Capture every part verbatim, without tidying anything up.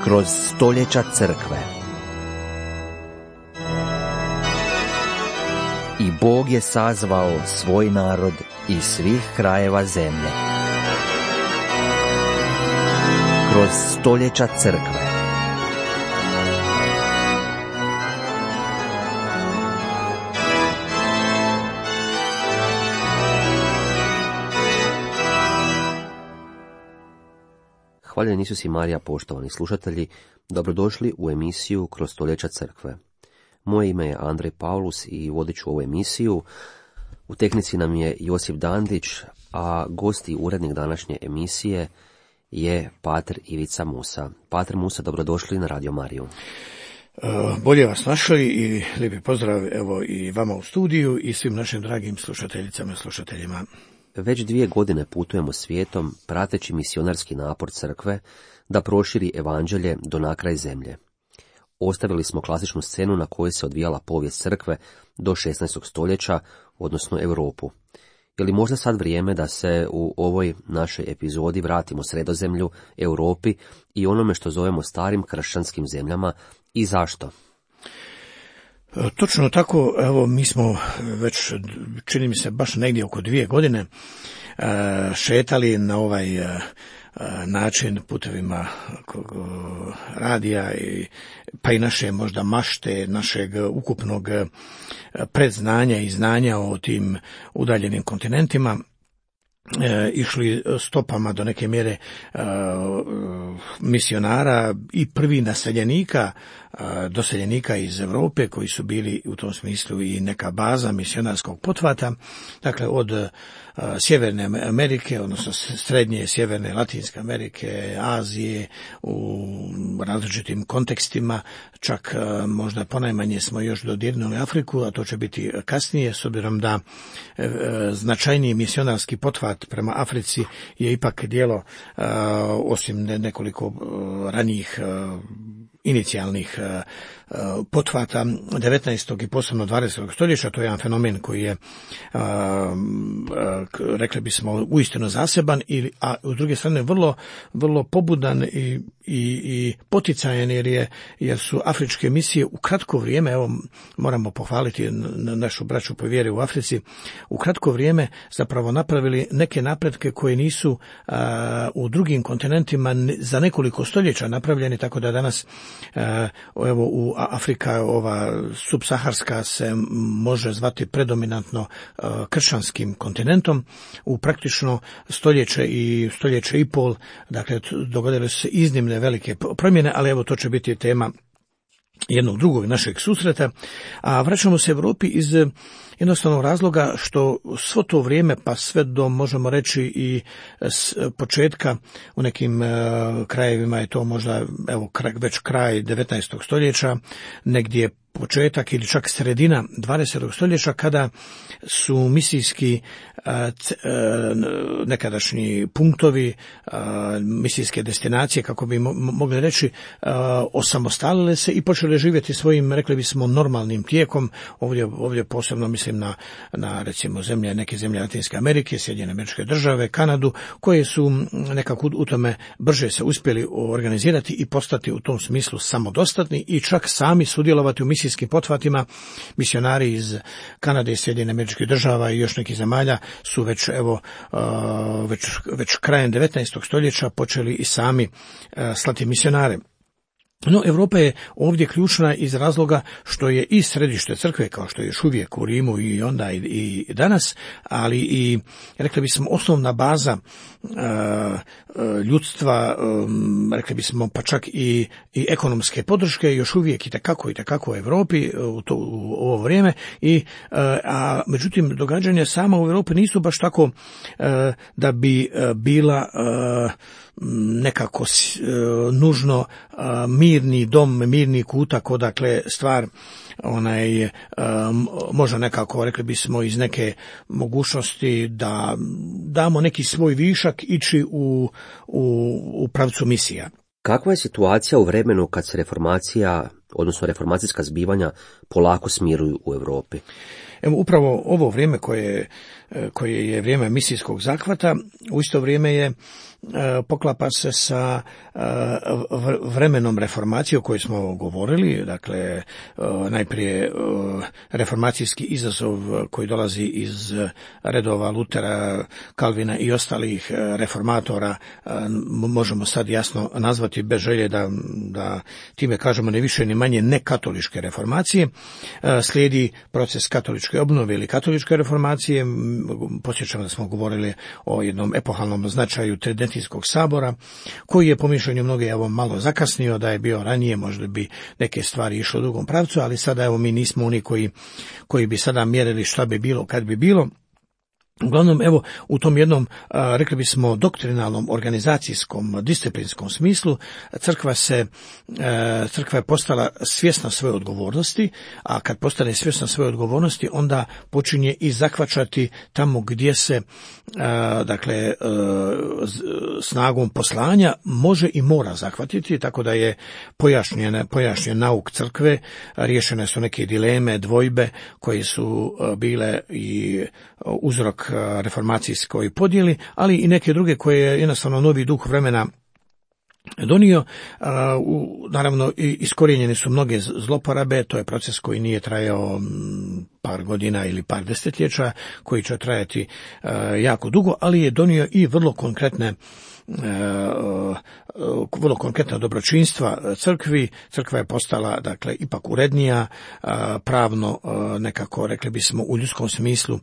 Kroz stoljeća crkve. I Bog je sazvao svoj narod iz svih krajeva zemlje. Kroz stoljeća crkve. Hvaljeni Isus i Marija, poštovani slušatelji, dobrodošli u emisiju Kroz stoljeća crkve. Moje ime je Andrej Paulus i vodit ću ovu emisiju. U tehnici nam je Josip Dandić, a gost i urednik današnje emisije je pater Ivica Musa. Pater Musa, dobrodošli na Radio Mariju. Bolje vas našli i lijepi pozdrav evo i vama u studiju i svim našim dragim slušateljicama i slušateljima. Već dvije godine putujemo svijetom prateći misionarski napor crkve da proširi evanđelje do nakraj zemlje. Ostavili smo klasičnu scenu na kojoj se odvijala povijest crkve do šesnaestog stoljeća, odnosno Europu. Je li možda sad vrijeme da se u ovoj našoj epizodi vratimo Sredozemlju, Europi i onome što zovemo starim kršćanskim zemljama i zašto? Točno tako, evo mi smo već, čini mi se, baš negdje oko dvije godine šetali na ovaj način putevima radija, pa i naše možda mašte, našeg ukupnog predznanja i znanja o tim udaljenim kontinentima. E, išli stopama do neke mjere e, misionara i prvi naseljenika, e, doseljenika iz Europe koji su bili u tom smislu i neka baza misionarskog pothvata, dakle od e, Sjeverne Amerike, odnosno srednje, sjeverne, Latinske Amerike, Azije, u različitim kontekstima, čak e, možda ponajmanje smo još dodirnuli Afriku, a to će biti kasnije, s obzirom da e, e, značajniji misionarski pothvat prema Africi je ipak djelo, uh, osim nekoliko uh, ranijih uh, inicijalnih uh, uh, pothvata devetnaestog i posebno dvadesetog stoljeća. To je jedan fenomen koji je, uh, uh, rekli bismo, uistinu zaseban, i, a u druge strane vrlo, vrlo pobudan i, i, i poticajan, jer, je, jer su afričke misije u kratko vrijeme, evo moramo pohvaliti našu braću po vjeri u Africi, u kratko vrijeme zapravo napravili neke napretke koje nisu uh, u drugim kontinentima za nekoliko stoljeća napravljeni, tako da danas uh, evo u Afrika, ova subsaharska, se može zvati predominantno uh, kršćanskim kontinentom. U praktično stoljeće i stoljeće i pol, dakle, dogodile su se iznimne velike promjene, ali evo to će biti tema jednog drugog našeg susreta. A vraćamo se Europi iz jednostavnog razloga što svo to vrijeme, pa sve do, možemo reći, i s početka u nekim uh, krajevima je to možda evo već kraj devetnaestog stoljeća, negdje početak ili čak sredina dvadesetog stoljeća, kada su misijski nekadašnji punktovi, misijske destinacije, kako bi mogli reći, osamostalile se i počele živjeti svojim, rekli bismo, normalnim tijekom. Ovdje, ovdje posebno mislim na, na recimo zemlje, neke zemlje Latinske Amerike, Sjedinjene Američke Države, Kanadu, koje su nekako u tome brže se uspjeli organizirati i postati u tom smislu samodostatni i čak sami sudjelovati u misijskim pothvatima. Misionari iz Kanade i Sjedinjenih Američkih Država i još nekih zemalja su već evo uh, već, već krajem devetnaestog stoljeća počeli i sami uh, slati misionare. No, Europa je ovdje ključna iz razloga što je i središte crkve, kao što je još uvijek u Rimu i onda i, i danas, ali i, rekli bismo, osnovna baza uh, ljudstva, um, rekli bismo, pa čak i, i ekonomske podrške, još uvijek i tekako i tekako u Europi u, to, u ovo vrijeme. I, uh, a međutim, događanja sama u Europi nisu baš tako uh, da bi uh, bila uh, nekako uh, nužno uh, mirni dom, mirni kutak, odakle stvar onaj um, može nekako, rekli bismo, iz neke mogućnosti da damo neki svoj višak ići u, u, u pravcu misija. Kakva je situacija u vremenu kad se reformacija, odnosno reformacijska zbivanja polako smiruju u Europi? Evo, upravo ovo vrijeme koje koje je vrijeme misijskog zahvata, u isto vrijeme je poklapa se sa vremenom reformacije o kojoj smo govorili, dakle najprije reformacijski izazov koji dolazi iz redova Lutera, Kalvina i ostalih reformatora, možemo sad jasno nazvati bez želje da, da time kažemo ne više ni manje ne katoličke reformacije. Slijedi proces katoličke obnove ili katoličke reformacije. Posjećam da smo govorili o jednom epohalnom značaju Tridentijskog sabora, koji je po mišljenju mnoge evo malo zakasnio, da je bio ranije, možda bi neke stvari išlo u drugom pravcu, ali sada evo mi nismo oni koji, koji bi sada mjerili šta bi bilo kad bi bilo. Uglavnom, evo, u tom jednom, a, rekli bismo, doktrinalnom, organizacijskom, disciplinskom smislu, crkva se, a, crkva je postala svjesna svoje odgovornosti, a kad postane svjesna svoje odgovornosti, onda počinje i zahvaćati tamo gdje se, a, dakle, a, snagom poslanja može i mora zahvatiti, tako da je pojašnjen, pojašnjen nauk crkve, riješene su neke dileme, dvojbe, koje su a, bile i uzrok reformacijskoj podjeli, ali i neke druge koje je jednostavno novi duh vremena donio. Naravno, iskorijenjene su mnoge zloporabe, to je proces koji nije trajao par godina ili par desetljeća, koji će trajati jako dugo, ali je donio i vrlo konkretne vrlo konkretna dobročinstva crkvi. Crkva je postala, dakle, ipak urednija, pravno nekako, rekli bismo, u ljudskom smislu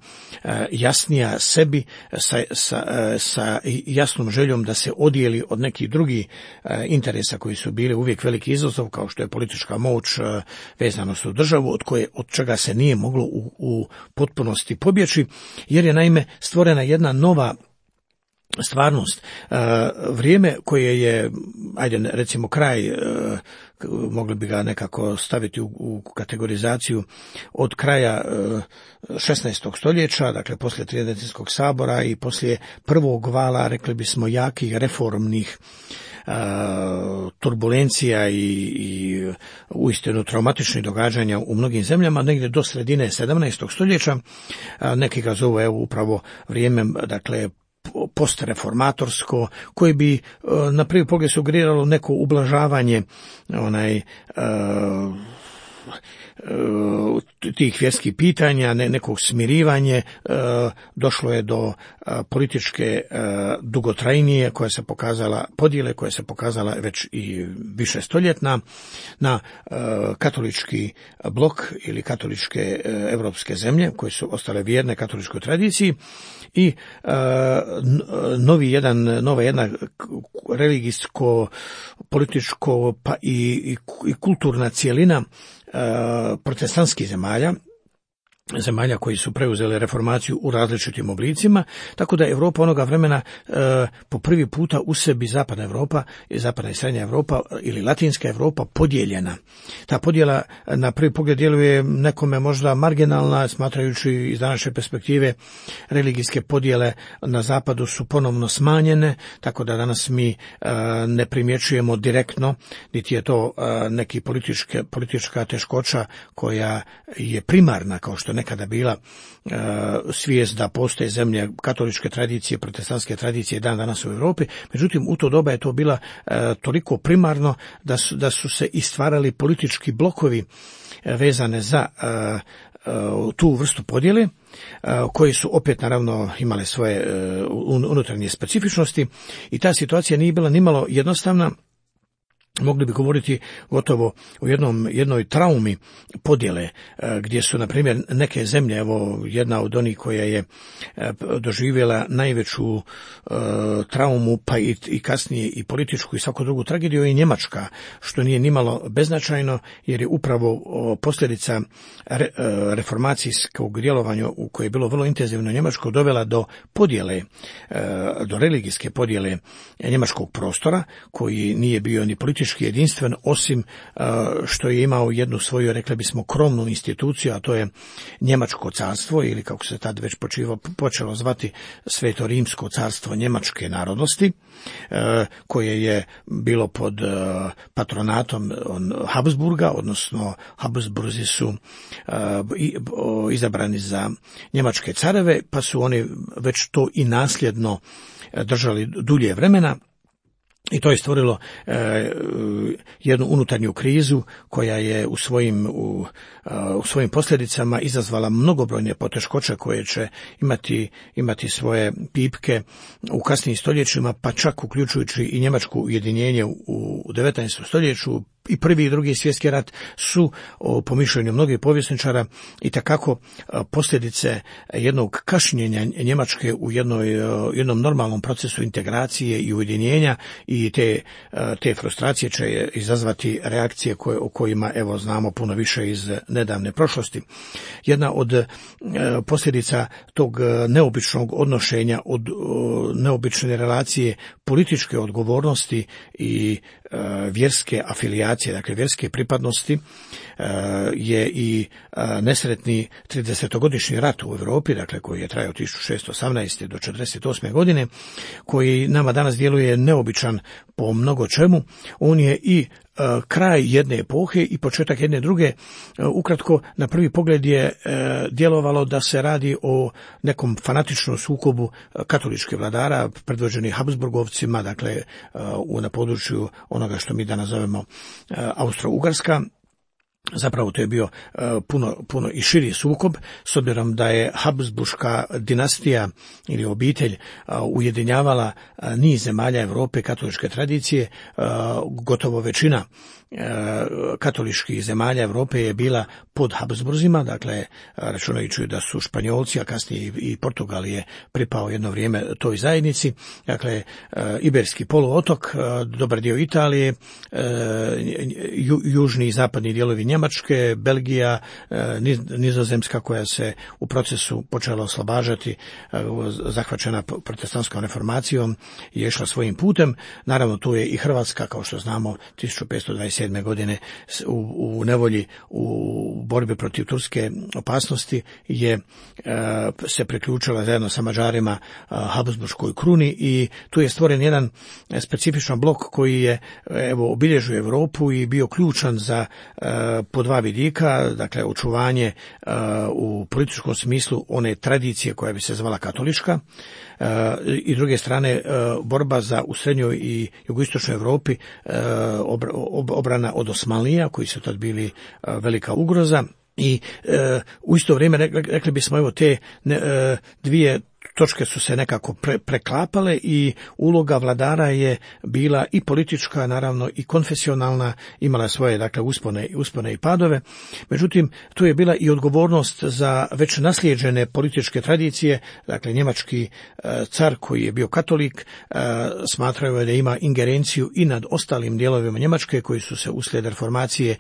jasnija sebi, sa, sa, sa jasnom željom da se odijeli od nekih drugih interesa koji su bili uvijek veliki izazov, kao što je politička moć, vezanost u državu, od koje, od čega se nije moglo u, u potpunosti pobjeći, jer je naime stvorena jedna nova stvarnost. Vrijeme koje je, ajde recimo kraj, mogli bi ga nekako staviti u, u kategorizaciju od kraja šesnaestog stoljeća, dakle poslije Tridentijskog sabora i poslije prvog vala, rekli bismo, jakih reformnih turbulencija i, i uistinu traumatičnih događanja u mnogim zemljama, negdje do sredine sedamnaestog stoljeća. Neki ga zovu evo upravo vrijeme, dakle, postreformatorsko, koje bi na prvi pogled sugeriralo neko ublažavanje onaj uh, tih vjerskih pitanja, ne, nekog smirivanje, došlo je do političke dugotrajnije koja se pokazala, podjele koja se pokazala već i više stoljetna na katolički blok ili katoličke evropske zemlje koje su ostale vjerne katoličkoj tradiciji i novi jedan, nova jedna religijsko, političko pa i, i, i kulturna cijelina protestantskih zemalja, zemalja koji su preuzeli reformaciju u različitim oblicima, tako da Europa onoga vremena e, po prvi puta u sebi zapadna Europa i zapadna i srednja Europa ili latinska Europa podijeljena. Ta podjela na prvi pogled djeluje nekome možda marginalna, smatrajući iz današnje perspektive religijske podjele na zapadu su ponovno smanjene, tako da danas mi e, ne primjećujemo direktno, niti je to e, neki političke, politička teškoća koja je primarna, kao što nekada bila e, svijest da postoje zemlje katoličke tradicije, protestantske tradicije dan danas u Europi. Međutim, u to doba je to bila e, toliko primarno da su, da su se i stvarali politički blokovi e, vezane za e, e, tu vrstu podjele, e, koji su opet naravno imale svoje e, unutarnje specifičnosti i ta situacija nije bila nimalo jednostavna. Mogli bi govoriti gotovo o jednom, jednoj traumi podjele, gdje su, na primjer, neke zemlje, evo jedna od onih koja je doživjela najveću e, traumu, pa i, i kasnije i političku i svaku drugu tragediju, je Njemačka, što nije nimalo beznačajno, jer je upravo posljedica re, reformacijskog djelovanja, u koje je bilo vrlo intenzivno Njemačko, dovela do podjele, e, do religijske podjele njemačkog prostora, koji nije bio ni politički politički jedinstven, osim što je imao jednu svoju, rekli bismo, krovnu instituciju, a to je Njemačko carstvo, ili kako se tad već počivo, počelo zvati Sveto Rimsko carstvo njemačke narodnosti, koje je bilo pod patronatom Habsburga, odnosno Habsburzi su izabrani za njemačke careve, pa su oni već to i nasljedno držali dulje vremena. I to je stvorilo e, jednu unutarnju krizu koja je u svojim, u, u svojim posljedicama izazvala mnogobrojne poteškoće koje će imati, imati svoje pipke u kasnijim stoljećima, pa čak uključujući i njemačko ujedinjenje u, u devetnaestom stoljeću. I prvi i drugi svjetski rat su, po mišljenju mnogih povjesničara, i takako posljedice jednog kašnjenja Njemačke u jednoj, jednom normalnom procesu integracije i ujedinjenja, i te, te frustracije će izazvati reakcije koje, o kojima evo znamo puno više iz nedavne prošlosti. Jedna od posljedica tog neobičnog odnošenja, od neobične relacije političke odgovornosti i vjerske afilijacije, dakle vjerske pripadnosti, je i nesretni tridesetogodišnji rat u Europi, dakle koji je trajao od tisuću šessto osamnaeste do četrdeset osme godine, koji nama danas djeluje neobičan po mnogo čemu. On je i kraj jedne epohe i početak jedne druge. Ukratko, na prvi pogled je djelovalo da se radi o nekom fanatičnom sukobu katoličkih vladara predvođenih Habsburgovcima, dakle na području onoga što mi danas zovemo Austro-Ugarska. Zapravo to je bio uh, puno, puno i širi sukob, s obzirom da je Habsburška dinastija ili obitelj uh, ujedinjavala uh, niz zemalja Europe katoličke tradicije. Uh, gotovo većina uh, katoličkih zemalja Europe je bila pod Habsburzima, dakle računajući da su Španjolci, a kasnije i Portugal je pripao jedno vrijeme toj zajednici, dakle uh, Iberski poluotok, uh, dobar dio Italije, uh, ju, južni i zapadni dijelovi Njemačke, Belgija, Nizozemska koja se u procesu počela oslobađati, zahvaćena protestantskom reformacijom, je išla svojim putem. Naravno tu je i Hrvatska, kao što znamo, tisuću petsto dvadeset sedme godine u, u nevolji, u borbi protiv turske opasnosti je se priključila zajedno sa Mađarima Habsburškoj kruni, i tu je stvoren jedan specifičan blok koji je evo obilježio Europu i bio ključan za po dva vidika, dakle očuvanje uh, u političkom smislu one tradicije koja bi se zvala katolička, uh, i druge strane uh, borba za u srednjoj i jugoistočnoj Europi uh, ob, ob, obrana od Osmanlija, koji su tad bili uh, velika ugroza. I uh, u isto vrijeme rekli, rekli bismo evo te ne, uh, dvije točke su se nekako pre, preklapale i uloga vladara je bila i politička, naravno i konfesionalna, imala svoje dakle uspone, uspone i padove. Međutim, tu je bila i odgovornost za već naslijeđene političke tradicije, dakle njemački e, car koji je bio katolik, e, smatrao je da ima ingerenciju i nad ostalim dijelovima Njemačke koji su se uslijed reformacije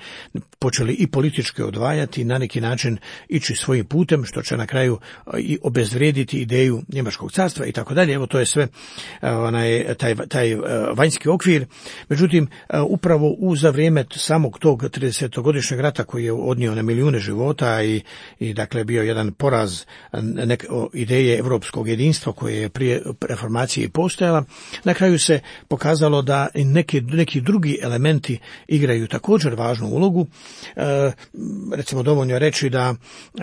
počeli i politički odvajati i na neki način ići svojim putem, što će na kraju i obezvrijediti ideju Njemačkog carstva i tako dalje. Evo to je sve onaj, taj, taj vanjski okvir. Međutim, upravo u za vrijeme samog tog tridesetogodišnjeg rata koji je odnio na milijune života i, i dakle bio jedan poraz nek, ideje europskog jedinstva koje je prije reformacije postojala, na kraju se pokazalo da neki, neki drugi elementi igraju također važnu ulogu. E, recimo dovoljno reći da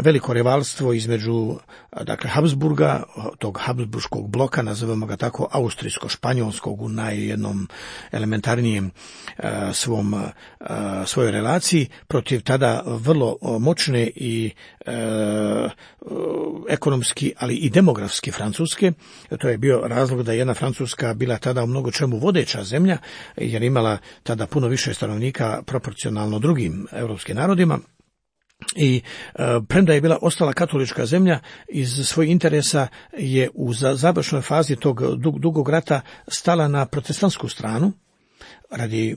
veliko rivalstvo između dakle Habsburga, tog Habsburškog bloka, nazovemo ga tako, austrijsko-španjolskog u najjednom elementarnijem e, svom e, svojoj relaciji protiv tada vrlo moćne i e, ekonomski, ali i demografski Francuske. To je bio razlog da je jedna Francuska bila tada u mnogo čemu vodeća zemlja, jer imala tada puno više stanovnika proporcionalno drugim europskim narodima. I e, premda je bila ostala katolička zemlja, iz svojih interesa je u za, završnoj fazi tog dug, dugog rata stala na protestantsku stranu radi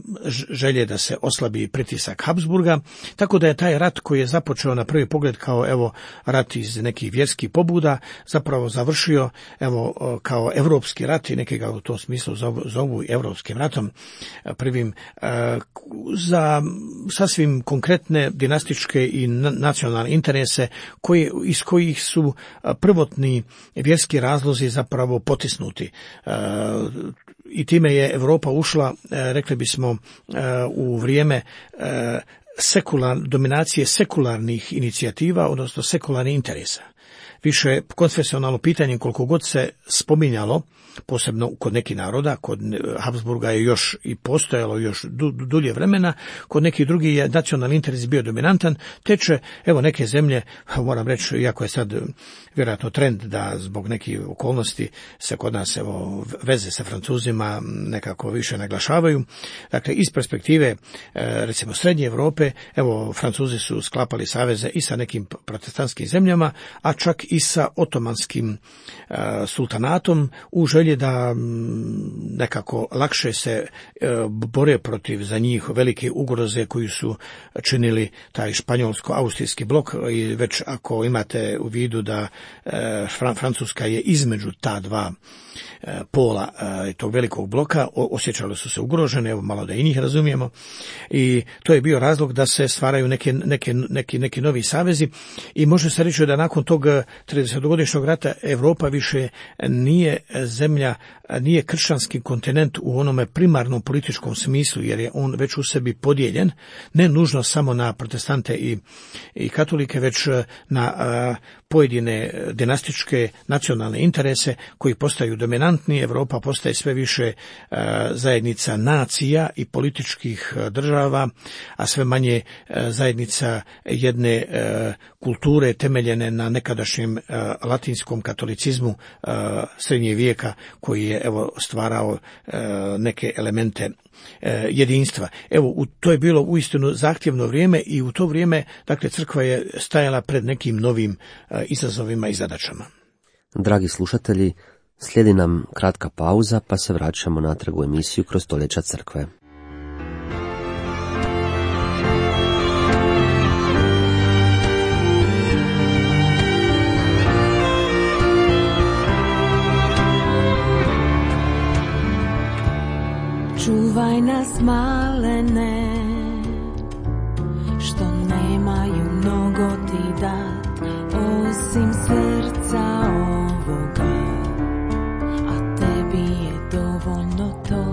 želje da se oslabi pritisak Habsburga, tako da je taj rat koji je započeo na prvi pogled kao evo rat iz nekih vjerskih pobuda zapravo završio evo kao evropski rat i neki ga u tom smislu zovu, zovu evropskim ratom prvim za sasvim konkretne dinastičke i nacionalne interese koji, iz kojih su prvotni vjerski razlozi zapravo potisnuti. I time je Europa ušla, rekli bismo, u vrijeme sekular, dominacije sekularnih inicijativa, odnosno sekularnih interesa. Više konfesionalno pitanje koliko god se spominjalo, posebno kod nekih naroda, kod Habsburga je još i postojalo još du, dulje vremena, kod nekih drugih je nacionalni interes bio dominantan, te će, evo, neke zemlje, moram reći, iako je sad vjerojatno trend da zbog nekih okolnosti se kod nas, evo, veze sa Francuzima nekako više naglašavaju. Dakle, iz perspektive, recimo, Srednje Europe, evo, Francuzi su sklapali saveze i sa nekim protestantskim zemljama, a čak i sa otomanskim sultanatom u želji da nekako lakše se bore protiv za njih velike ugroze koju su činili taj španjolsko-austrijski blok. I već ako imate u vidu da Francuska je između ta dva pola tog velikog bloka, osjećali su se ugrožene, evo malo da i njih razumijemo, i to je bio razlog da se stvaraju neke, neke, neki, neki novi savezi i može se reći da nakon tog tridesetogodišnjeg rata Europa više nije zemlja, nije kršćanski kontinent u onome primarnom političkom smislu, jer je on već u sebi podijeljen, ne nužno samo na protestante i, i katolike, već na a, pojedine dinastičke nacionalne interese koji postaju dominantni. Europa postaje sve više a, zajednica nacija i političkih a, država, a sve manje a, zajednica jedne a, kulture temeljene na nekadašnjem a, latinskom katolicizmu a, srednjeg vijeka, koji je evo stvarao a, neke elemente a, jedinstva. Evo, u, to je bilo uistinu zahtjevno vrijeme i u to vrijeme, dakle, crkva je stajala pred nekim novim a, izazovima i zadaćama. Dragi slušatelji, slijedi nam kratka pauza, pa se vraćamo natrag u emisiju Kroz stoljeća crkve. Čuvaj nas malene, što nemaju mnogo ti dat, osim srca ovoga, a tebi je dovoljno to.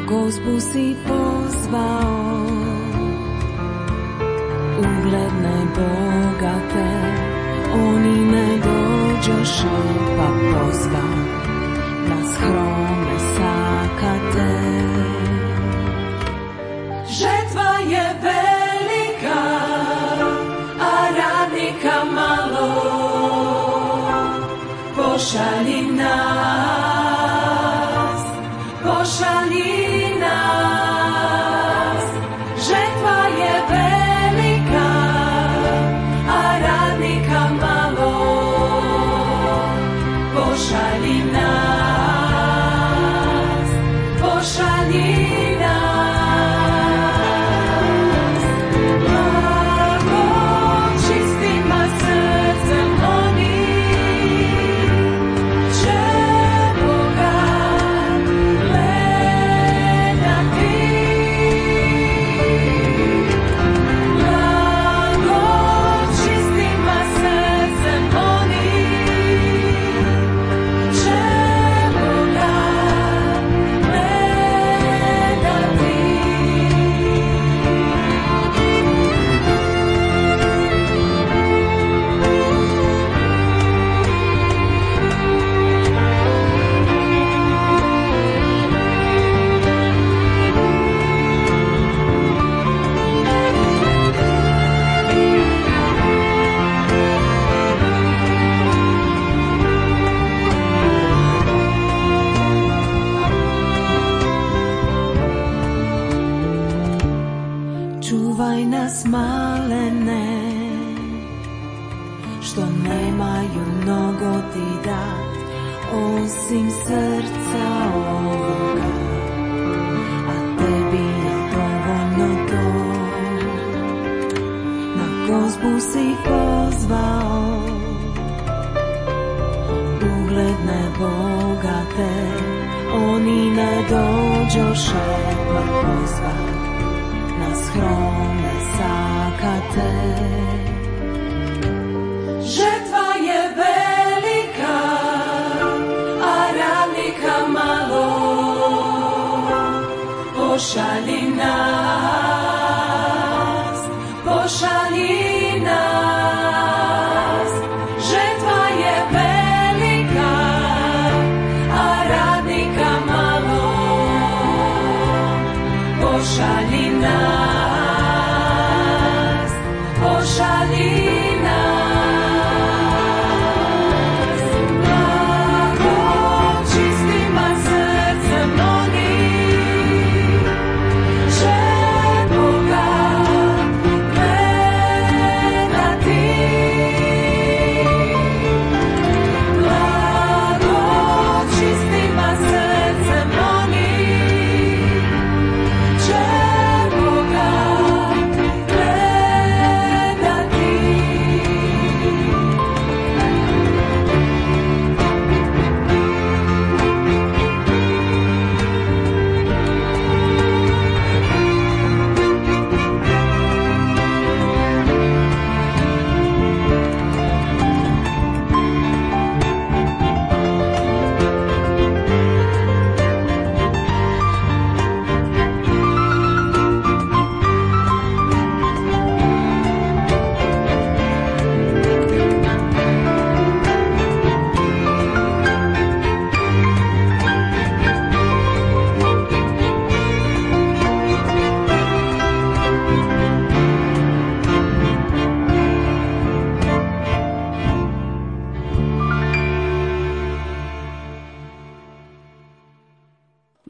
Gospu si pozvao, ugledne, bogate, oni ne dođoše, pa pozva na skromne sakate. Žetva je velika, a radnika malo, pošalji nas, pošalji. Boga dat, osim srca ovoga, a tebi je dovoljno to. Na gozbu si pozvao ugledne bogate, oni ne dođoše pa pozvat na skromne sakate. Žetva je velika, a radnika malo, pošalji nas, pošalji nas. Žetva je velika, a radnika malo, pošalji nas, pošalji nas. Blago čistima srcem onih će Boga gledati. Blago čistima srcem onih će Boga gledati.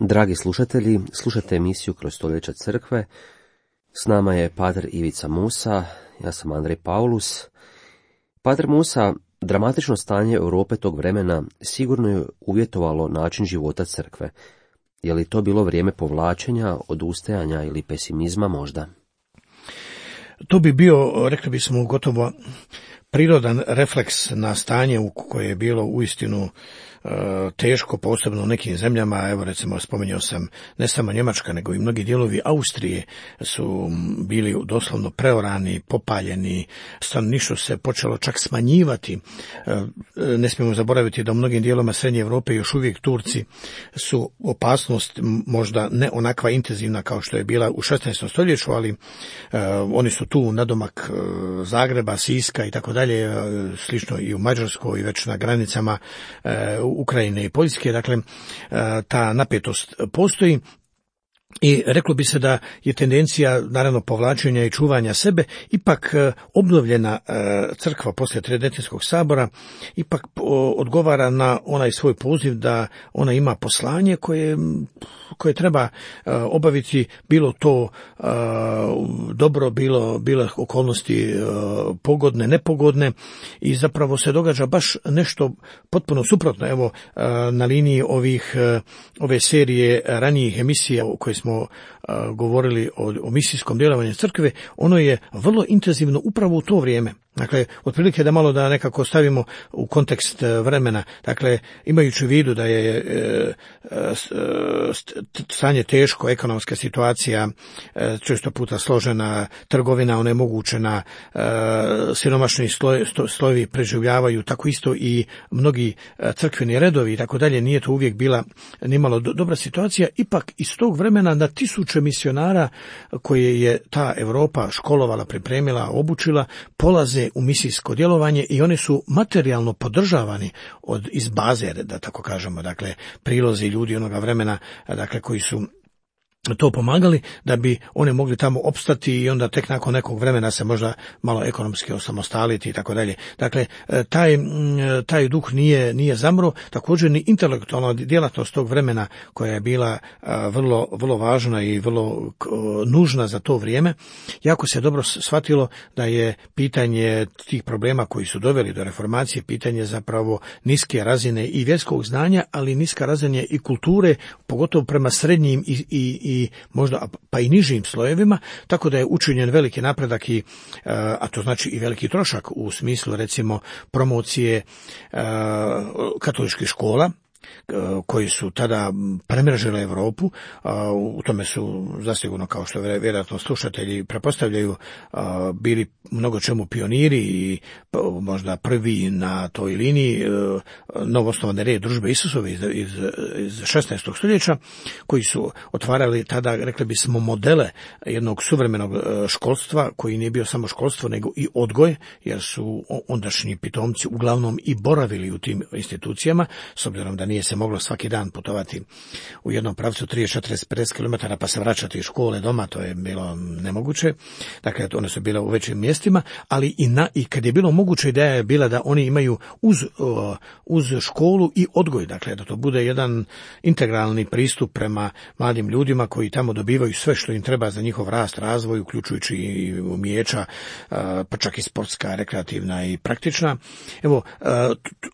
Dragi slušatelji, slušate emisiju Kroz stoljeća crkve. S nama je pater Ivica Musa, ja sam Andrej Paulus. Pater Musa, dramatično stanje Europe tog vremena sigurno je uvjetovalo način života crkve. Je li to bilo vrijeme povlačenja, odustajanja ili pesimizma možda? To bi bio, rekli bismo, gotovo prirodan refleks na stanje u koje je bilo uistinu teško, posebno u nekim zemljama. Evo recimo spomenuo sam, ne samo Njemačka nego i mnogi dijelovi Austrije su bili doslovno preorani, popaljeni, stanovništvo se počelo čak smanjivati. Ne smijemo zaboraviti da u mnogim dijelovima Srednje Europe još uvijek Turci su opasnost, možda ne onakva intenzivna kao što je bila u šesnaestom stoljeću, ali oni su tu nadomak Zagreba, Siska i tako dalje, slično i u Mađarskoj i već na granicama Ukrajine i Poljske. Dakle, ta napetost postoji. I reklo bi se da je tendencija, naravno, povlačenja i čuvanja sebe, ipak obnovljena crkva poslije Tridentinskog sabora ipak odgovara na onaj svoj poziv da ona ima poslanje koje, koje treba obaviti, bilo to dobro, bilo, bilo okolnosti pogodne, nepogodne, i zapravo se događa baš nešto potpuno suprotno. Evo, na liniji ovih, ove serije ranijih emisija koje smo govorili o, o misijskom djelovanju crkve, ono je vrlo intenzivno upravo u to vrijeme. Dakle, otprilike da malo da nekako stavimo u kontekst vremena. Dakle, imajući u vidu da je e, e, stanje teško, ekonomska situacija e, često puta složena, trgovina onemogućena, e, siromašni sloj, slojevi preživljavaju, tako isto i mnogi crkveni redovi i tako dalje, nije to uvijek bila nimalo do, dobra situacija. Ipak iz tog vremena na tisuće misionara koje je ta Europa školovala, pripremila, obučila, polaze u misijsko djelovanje i oni su materijalno podržavani od iz baze, da tako kažemo, dakle prilozi ljudi onoga vremena, dakle koji su to pomagali da bi oni mogli tamo opstati i onda tek nakon nekog vremena se možda malo ekonomski osamostaliti i tako dalje. Dakle, taj, taj duh nije, nije zamro, također ni intelektualna djelatnost tog vremena koja je bila vrlo, vrlo važna i vrlo nužna za to vrijeme. Jako se dobro shvatilo da je pitanje tih problema koji su doveli do reformacije pitanje zapravo niske razine i vjerskog znanja, ali niska razine i kulture, pogotovo prema srednjim i, i i možda pa i nižim slojevima, tako da je učinjen veliki napredak i, a to znači i veliki trošak u smislu recimo promocije katoličkih škola koji su tada premrežile Europu. U tome su zasigurno, kao što vjerojatno slušatelji prepostavljaju, bili mnogo čemu pioniri i možda prvi na toj liniji novoosnovane red Družbe Isusove iz, iz, iz šesnaestog stoljeća, koji su otvarali tada, rekli bismo, modele jednog suvremenog školstva koji nije bio samo školstvo nego i odgoj, jer su ondašnji pitomci uglavnom i boravili u tim institucijama, s obzirom da nije se moglo svaki dan putovati u jednom pravcu trideset, četrdeset, pedeset kilometara pa se vraćati iz škole doma, to je bilo nemoguće. Dakle, one su bile u većim mjestima, ali i, na, i kad je bilo moguće, ideja je bila da oni imaju uz, uh, uz školu i odgoj, dakle da to bude jedan integralni pristup prema mladim ljudima koji tamo dobivaju sve što im treba za njihov rast, razvoj, uključujući i umijeća, uh, pa čak i sportska, rekreativna i praktična. Evo,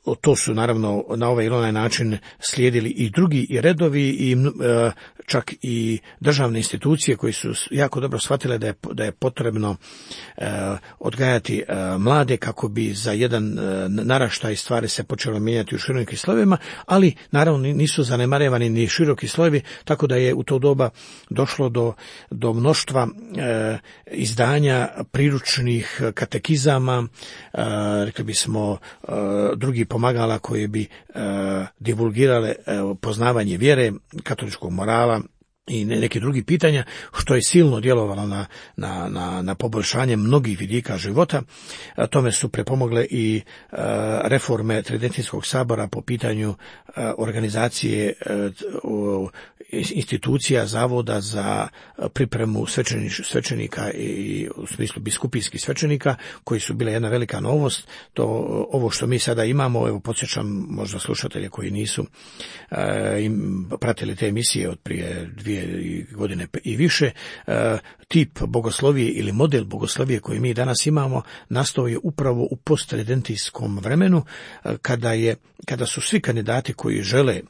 uh, to su naravno na ovaj ili onaj način slijedili i drugi i redovi i e, čak i državne institucije koji su jako dobro shvatile da je, da je potrebno e, odgajati e, mlade kako bi za jedan e, naraštaj stvari se počelo mijenjati u širokim slojevima, ali naravno nisu zanemarevani ni široki slojevi, tako da je u to doba došlo do, do mnoštva e, izdanja priručnih katekizama, e, rekli bismo e, drugi pomagala koji bi e, divulgirale poznavanje vjere, katoličkog morala i neki drugi pitanja, što je silno djelovalo na, na, na, na poboljšanje mnogih vidika života. A tome su prepomogle i a, reforme Tridentinskog sabora po pitanju a, organizacije a, u, institucija, zavoda za pripremu svećenika i u smislu biskupijskih svećenika, koji su bile jedna velika novost. To, ovo što mi sada imamo, evo podsjećam možda slušatelje koji nisu a, im pratili te emisije od prije dvije godine i više, tip bogoslovije ili model bogoslovije koji mi danas imamo nastao je upravo u posttridentijskom vremenu, kada je, kada su svi kandidati koji žele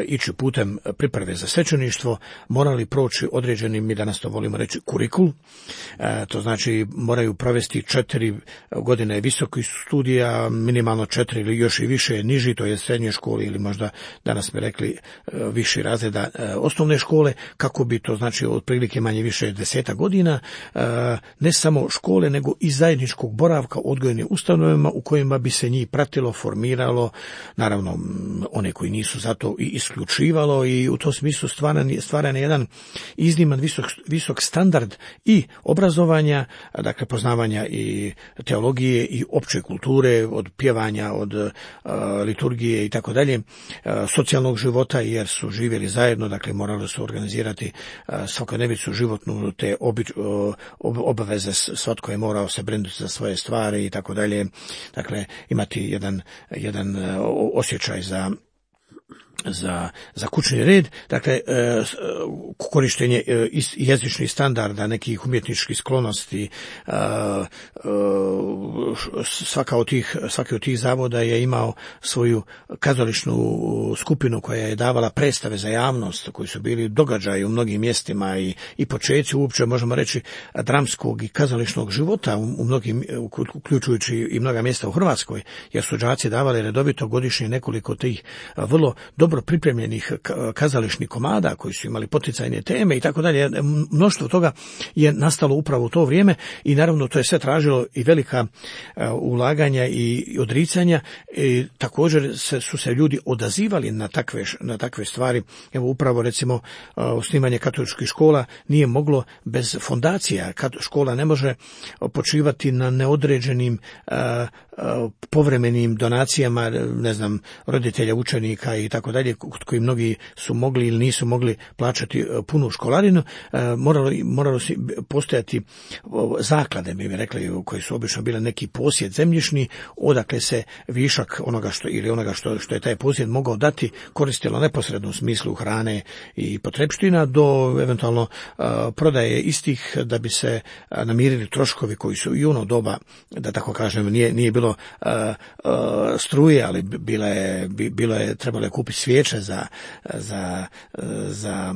ići putem priprave za svećeništvo morali proći određeni, mi danas to volimo reći, kurikul. To znači moraju provesti četiri godine visokih studija, minimalno četiri ili još i više niži, to je srednje škole ili možda danas bi rekli viši razreda osnovne škole, kako bi to znači otprilike manje više deseta godina, ne samo škole nego i zajedničkog boravka u odgojnim ustanovama u kojima bi se njih pratilo, formiralo, naravno one koji nisu za to i isključivalo, i u tom smislu stvaran, stvaran je jedan izniman visok, visok standard i obrazovanja, dakle poznavanja i teologije i opće kulture, od pjevanja, od uh, liturgije i tako dalje, socijalnog života, jer su živjeli zajedno, dakle morali su organizirati uh, svakodnevicu životnu, te obič, uh, obaveze, svatko je morao se brinuti za svoje stvari i tako dalje, dakle imati jedan, jedan uh, osjećaj za za, za kućni red, dakle korištenje jezičnih standarda, nekih umjetničkih sklonosti. Svaka od tih, svaki od tih zavoda je imao svoju kazališnu skupinu koja je davala predstave za javnost, koji su bili događaji u mnogim mjestima i, i počeci uopće, možemo reći, dramskog i kazališnog života u mnogim, uključujući i mnoga mjesta u Hrvatskoj, jer su đaci davali redovito godišnje nekoliko tih vrlo dobro pripremljenih kazališnih komada koji su imali poticajne teme i tako dalje. Mnoštvo toga je nastalo upravo u to vrijeme i naravno to je sve tražilo i velika ulaganja i odricanja i također se, su se ljudi odazivali na takve, na takve stvari. Evo upravo recimo osnivanje katoličkih škola nije moglo bez fondacija. Škola ne može počivati na neodređenim povremenim donacijama, ne znam, roditelja, učenika i tako dalje. dalje, kod koji mnogi su mogli ili nisu mogli plaćati punu školarinu, moralo, moralo si postojati zaklade, mi bi rekli, koji su obično bile neki posjed zemljišni, odakle se višak onoga što ili onoga što, što je taj posjed mogao dati koristilo neposredno u smislu hrane i potrepština do eventualno a, prodaje istih da bi se a, namirili troškovi koji su i ono doba, da tako kažem, nije, nije bilo a, a, struje, ali bila je, bilo je, trebalo je kupiti svijeće za, za, za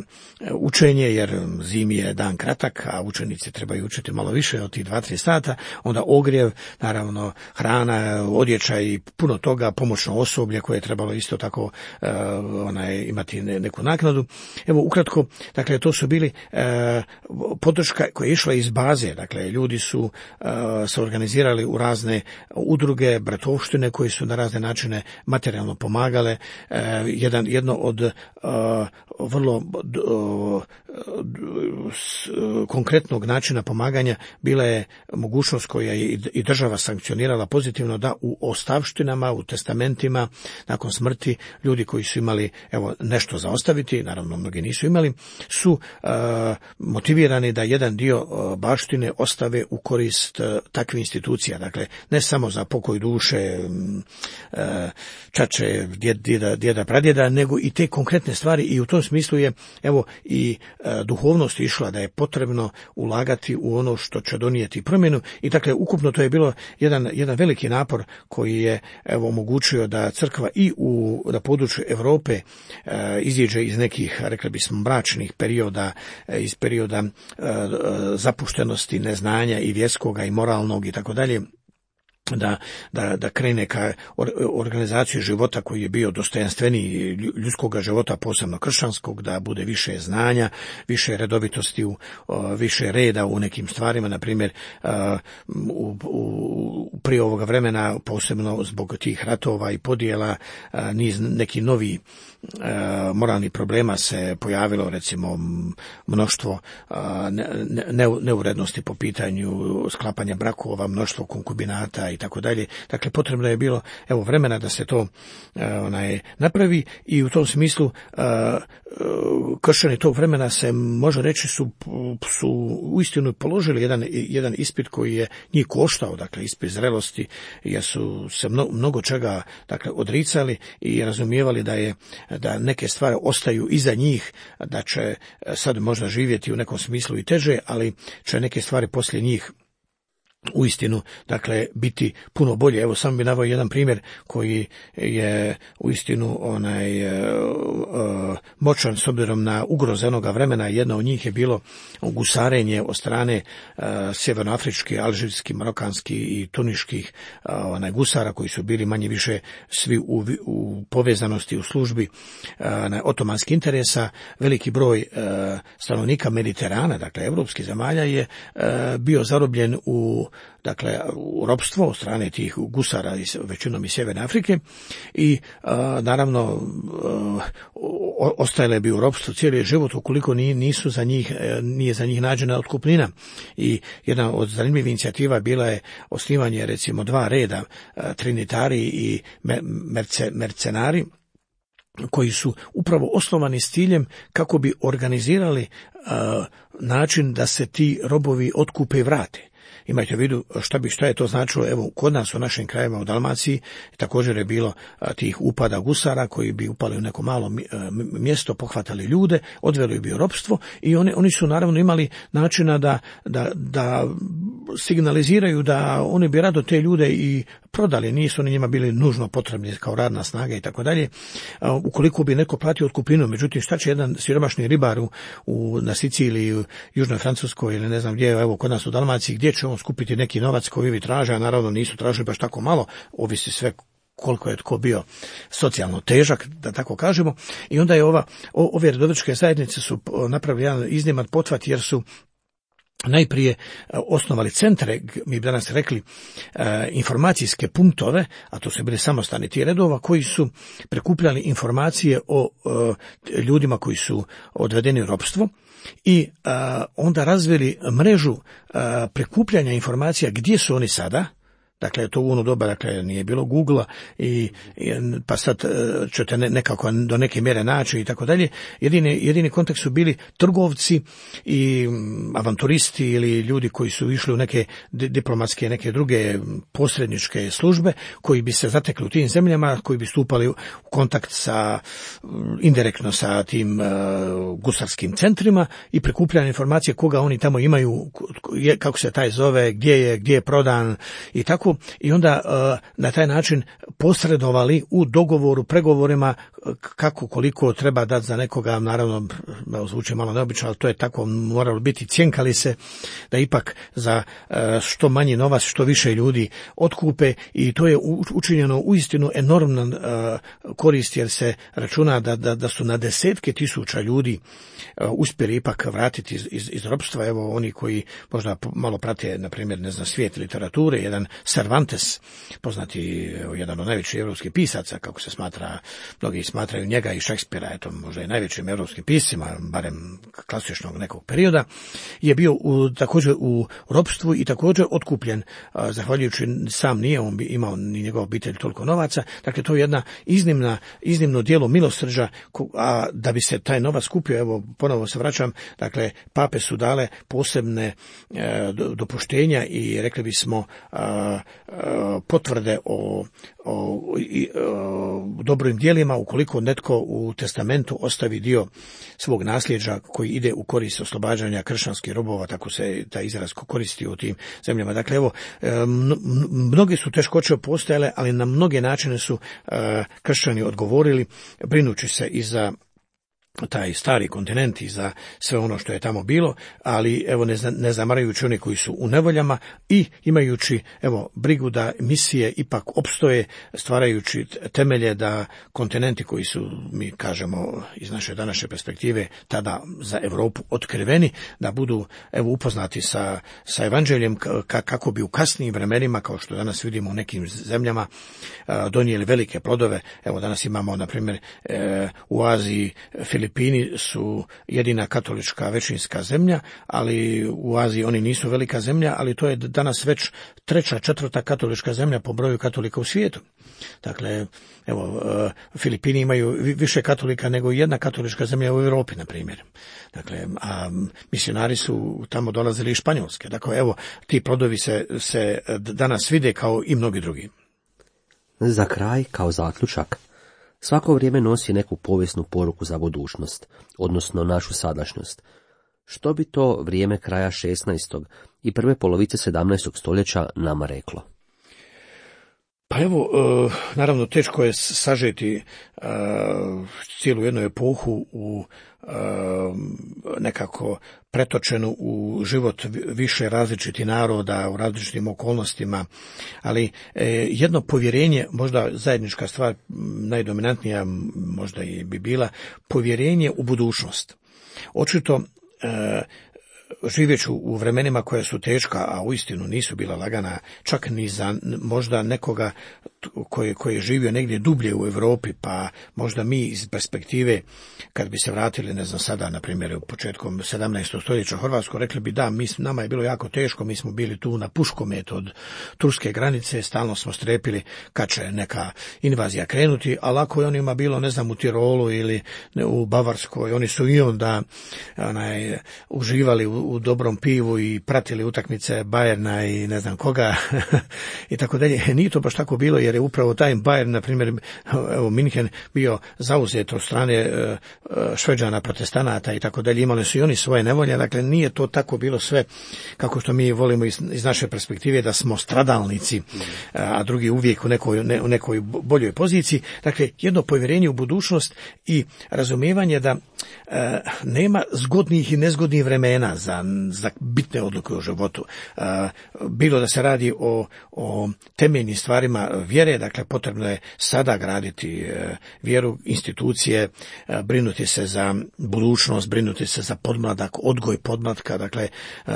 učenje, jer zimi je dan kratak, a učenici trebaju učiti malo više od tih dva, tri sata, onda ogrjev, naravno hrana, odjeća i puno toga, pomoćno osoblje koje je trebalo isto tako uh, onaj, imati neku naknadu. Evo, ukratko, dakle, to su bili uh, podrška koja je išla iz baze, dakle, ljudi su uh, se organizirali u razne udruge, bratovštine koje su na razne načine materijalno pomagale. Uh, jedan, jedno od uh, vrlo uh, konkretnog načina pomaganja bila je mogućnost koja je i država sankcionirala pozitivno da u ostavštinama, u testamentima, nakon smrti, ljudi koji su imali evo nešto za ostaviti, naravno mnogi nisu imali, su uh, motivirani da jedan dio uh, baštine ostave u korist uh, takvih institucija. Dakle, ne samo za pokoj duše uh, čače, djeda, djeda, pradjeda, nego i te konkretne stvari, i u tom smislu je evo i uh, duhovnost išla da je potrebno ulagati u ono što će donijeti promjenu, i dakle ukupno to je bilo jedan, jedan veliki napor koji je evo omogućio da crkva i u na području Europe e, iziđe iz nekih, rekli bismo, mračnih perioda, e, iz perioda e, zapuštenosti, neznanja i vjerskoga i moralnog i tako dalje, da, da, da krene ka organizaciju života koji je bio dostojanstveniji ljudskog života, posebno kršćanskog, da bude više znanja, više redovitosti, u, više reda u nekim stvarima, na primjer u, u, prije ovoga vremena, posebno zbog tih ratova i podjela, niz neki novi moralnih problema se pojavilo, recimo mnoštvo neurednosti po pitanju sklapanja brakova, mnoštvo konkubinata i tako dalje. Dakle, potrebno je bilo evo vremena da se to onaj napravi, i u tom smislu kršćani tog vremena se može reći su su uistinu položili jedan jedan ispit koji je njih koštao, dakle ispit zrelosti, jer su se mnogo, mnogo čega dakle odricali i razumijevali da je da neke stvari ostaju iza njih, da će sad možda živjeti u nekom smislu i teže, ali će neke stvari poslije njih uistinu, dakle, biti puno bolje. Evo, samo bi naveo jedan primjer koji je uistinu onaj uh, uh, moćan s obzirom na ugroze onoga vremena. Jedna od njih je bilo gusarenje od strane uh, sjevernoafričkih, alžirskih, marokanskih i tuniških uh, onaj gusara koji su bili manje više svi u, u povezanosti u službi uh, na otomanskih interesa. Veliki broj uh, stanovnika Mediterana, dakle evropskih zemalja, je uh, bio zarobljen u dakle u ropstvo od strane tih gusara iz, većinom iz Sjeverne Afrike, i a, naravno a, ostajale bi u ropstvu cijeli život ukoliko nisu za njih, nije za njih nađena otkupnina. I jedna od zanimljivih inicijativa bila je osnivanje recimo dva reda, a, trinitari i merce, mercenari, koji su upravo osnovani s ciljem kako bi organizirali a, način da se ti robovi otkupe i vrate. Imajte u vidu šta bi šta je to značilo. Evo, kod nas u našim krajevima u Dalmaciji također je bilo a, tih upada gusara koji bi upali u neko malo mjesto, pohvatali ljude, odveli bi u ropstvo, i oni oni su naravno imali načina da da da signaliziraju da oni bi rado te ljude i prodali, nisu oni njima bili nužno potrebni kao radna snaga i tako dalje. Ukoliko bi neko platio otkupninu, međutim šta će jedan siromašni ribar u, u na Siciliji, u Južnoj Francuskoj ili ne znam gdje, evo kod nas u Dalmaciji, gdje će on skupiti neki novac koji vi traže, a naravno nisu tražili baš tako malo, ovisi sve koliko je tko bio socijalno težak, da tako kažemo. I onda je ova, ove redovničke zajednice su napravili jedan izniman pothvat, jer su najprije osnovali centre, mi bi danas rekli informacijske punktove, a to su bili samostani ti redova, koji su prikupljali informacije o ljudima koji su odvedeni u ropstvo, i onda razvili mrežu prikupljanja informacija gdje su oni sada, Dakle, to u ono doba, dakle, nije bilo Googlea i, i pa sad ćete ne, nekako do neke mjere naći i tako dalje. Jedini, jedini kontakt su bili trgovci i avanturisti ili ljudi koji su išli u neke diplomatske, neke druge posredničke službe, koji bi se zatekli u tim zemljama, koji bi stupali u kontakt sa, indirektno sa tim uh, gusarskim centrima i prikupljali informacije koga oni tamo imaju, kako se taj zove, gdje je, gdje je prodan i tako. I onda uh, na taj način posredovali u dogovoru, pregovorima kako koliko treba dati za nekoga, naravno zvuči malo neobično, ali to je tako moralo biti, cjenkali se da ipak za uh, što manji novac, što više ljudi otkupe i to je učinjeno uistinu enormnan uh, korist jer se računa da, da, da su na desetke tisuća ljudi uh, uspjeli ipak vratiti iz, iz, iz ropstva. Evo oni koji možda malo prate, na primjer, ne znam, svijet literature, jedan Cervantes, poznati evo, jedan od najvećih europskih pisaca, kako se smatra, mnogi smatraju njega i Šekspira, eto možda i najvećim europskim piscima, barem klasičnog nekog perioda, je bio u, također u ropstvu i također otkupljen, uh, zahvaljujući sam nije on bi imao ni njegova obitelj toliko novaca. Dakle, to je jedna iznimna, iznimno djelo milosrđa, a da bi se taj novac kupio, evo ponovo se vraćam, dakle, pape su dale posebne e, dopuštenja i rekli bismo a, a, potvrde o, o, i, o dobrim djelima ukoliko netko u testamentu ostavi dio svog nasljeđa koji ide u korist oslobađanja kršćanskih robova, tako se taj izraz koristi u tim zemljama. Dakle, evo, mnoge su teškoće postojale, ali na mnoge načine su e, kršćani odgovorili, brinući se i za taj stari kontinent i za sve ono što je tamo bilo, ali evo ne, ne zamarajući oni koji su u nevoljama i imajući evo brigu da misije ipak opstoje, stvarajući temelje da kontinenti koji su, mi kažemo iz naše današnje perspektive, tada za Europu otkriveni, da budu evo upoznati sa, sa evanđeljem ka, kako bi u kasnijim vremenima, kao što danas vidimo u nekim zemljama, donijeli velike plodove. Evo danas imamo, na primjer, u Aziji Filipini su jedina katolička većinska zemlja, ali u Aziji oni nisu velika zemlja, ali to je danas već treća, četvrta katolička zemlja po broju katolika u svijetu. Dakle, evo, Filipini imaju više katolika nego jedna katolička zemlja u Europi, na primjer. Dakle, a misionari su tamo dolazili iz Španjolske. Dakle, evo, ti plodovi se, se danas vide kao i mnogi drugi. Za kraj, kao zaključak, svako vrijeme nosi neku povijesnu poruku za budućnost, odnosno našu sadašnjost. Što bi to vrijeme kraja šesnaestog i prve polovice sedamnaestog stoljeća nama reklo? Pa evo, naravno teško je sažeti cijelu jednu epohu u nekako pretočenu u život više različitih naroda u različitim okolnostima, ali jedno povjerenje, možda zajednička stvar, najdominantnija možda i bi bila povjerenje u budućnost. Očito živjeću u vremenima koja su teška, a uistinu nisu bila lagana, čak ni za možda nekoga koji, koji je živio negdje dublje u Europi, pa možda mi iz perspektive, kad bi se vratili, ne znam sada, na primjer, u početkom sedamnaestog stoljeća u Hrvatsku, rekli bi da, mi, nama je bilo jako teško, mi smo bili tu na puškomet od turske granice, stalno smo strepili kad će neka invazija krenuti, a lako je onima bilo, ne znam, u Tirolu ili u Bavarskoj, oni su i onda onaj, uživali u, u dobrom pivu i pratili utakmice Bayerna i ne znam koga i tako dalje. Nije to baš tako bilo, jer je upravo taj Bayern, na primjer, evo Minhen, bio zauzet od strane Šveđana, protestanata i tako dalje. Imali su i oni svoje nevolje, dakle nije to tako bilo sve kako što mi volimo iz, iz naše perspektive da smo stradalnici, a drugi uvijek u nekoj, ne, u nekoj boljoj poziciji. Dakle, jedno povjerenje u budućnost i razumijevanje da e, nema zgodnih i nezgodnih vremena za, za bitne odluke u životu. E, bilo da se radi o, o temeljnim stvarima vjere, dakle potrebno je sada graditi e, vjeru, institucije, e, brinuti se za budućnost, brinuti se za podmladak, odgoj podmlatka, dakle e,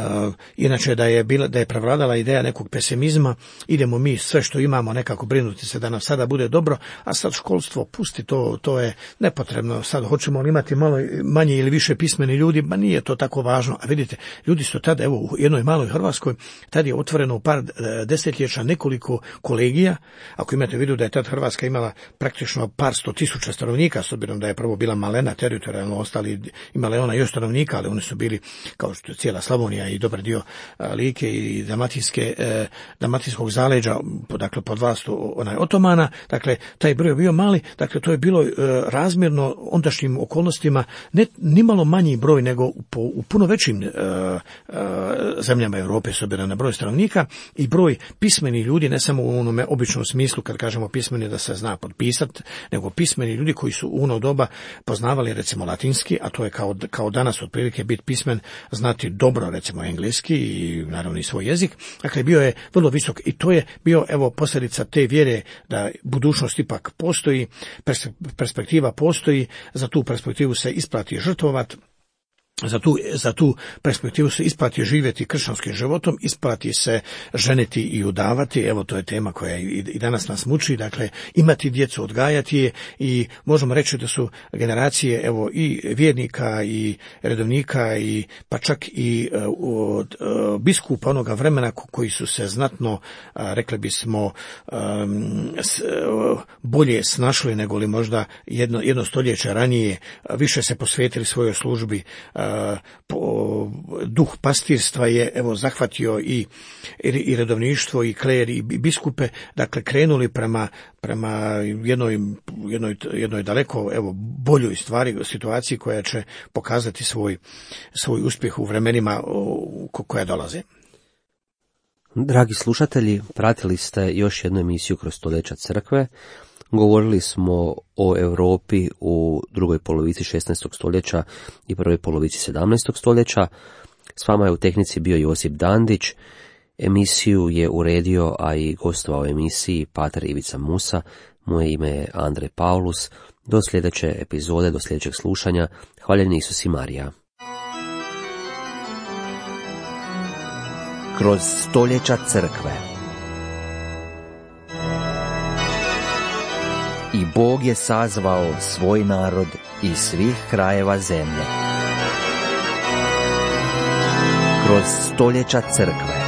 inače da je bila, da je prevladala ideja nekog pesimizma, idemo mi sve što imamo nekako brinuti se da nam sada bude dobro, a sad školstvo pusti, to, to je nepotrebno, sad hoćemo li imati malo malo manje ili više pismeni ljudi, ma nije to tako važno. A vidite, ljudi su tada, evo, u jednoj maloj Hrvatskoj, tad je otvoreno u par desetljeća nekoliko kolegija. Ako imate u vidu da je tad Hrvatska imala praktično par sto tisuća stanovnika, s obzirom da je prvo bila malena teritorijalno, ostali imala je ona još stanovnika, ali oni su bili, kao što je cijela Slavonija i dobar dio Like i Dalmatinske, eh, Dalmatinskog zaleđa, dakle pod vlastu onaj Otomana, dakle taj broj je bio mali, dakle to je bilo eh, razmjerno ondašnjim okolnostima ne nimalo manji broj nego po, u puno većim eh, eh, zemljama Europe s obzirom na broj stanovnika i broj pismenih ljudi, ne samo u onome običnom smislu kad kažemo pismeni da se zna potpisati, nego pismeni ljudi koji su u ono doba poznavali recimo latinski, a to je kao, kao danas otprilike biti pismen, znati dobro recimo engleski i naravno i svoj jezik. Dakle, bio je vrlo visok i to je bio evo posljedica te vjere da budućnost ipak postoji, perspektiva postoji, za tu perspektivu se isplati žrtvovati. Za tu, za tu perspektivu se isplati živjeti kršćanskim životom, isplati se ženiti i udavati, evo to je tema koja i, i danas nas muči, dakle imati djecu, odgajati je i možemo reći da su generacije evo i vjernika i redovnika i pa čak i uh, uh, biskupa onoga vremena koji su se znatno, uh, rekli bismo, um, s, uh, bolje snašli nego li možda jedno, jedno stoljeće ranije, uh, više se posvetili svojoj službi. Uh, Po, duh pastirstva je evo zahvatio i, i redovništvo i kler i biskupe, dakle krenuli prema, prema jednoj, jednoj, jednoj daleko evo boljoj stvari, situaciji koja će pokazati svoj, svoj uspjeh u vremenima koja dolaze. Dragi slušatelji, pratili ste još jednu emisiju Kroz stoljeća crkve. Govorili smo o Europi u drugoj polovici šesnaestog stoljeća i prvoj polovici sedamnaestog stoljeća. S vama je u tehnici bio Josip Dandić. Emisiju je uredio, a i gostovao u emisiji pater Ivica Musa. Moje ime je Andrej Paulus. Do sljedeće epizode, do sljedećeg slušanja. Hvaljeni Isus i Marija. Kroz stoljeća crkve. I Bog je sazvao svoj narod iz svih krajeva zemlje. Kroz stoljeća crkve.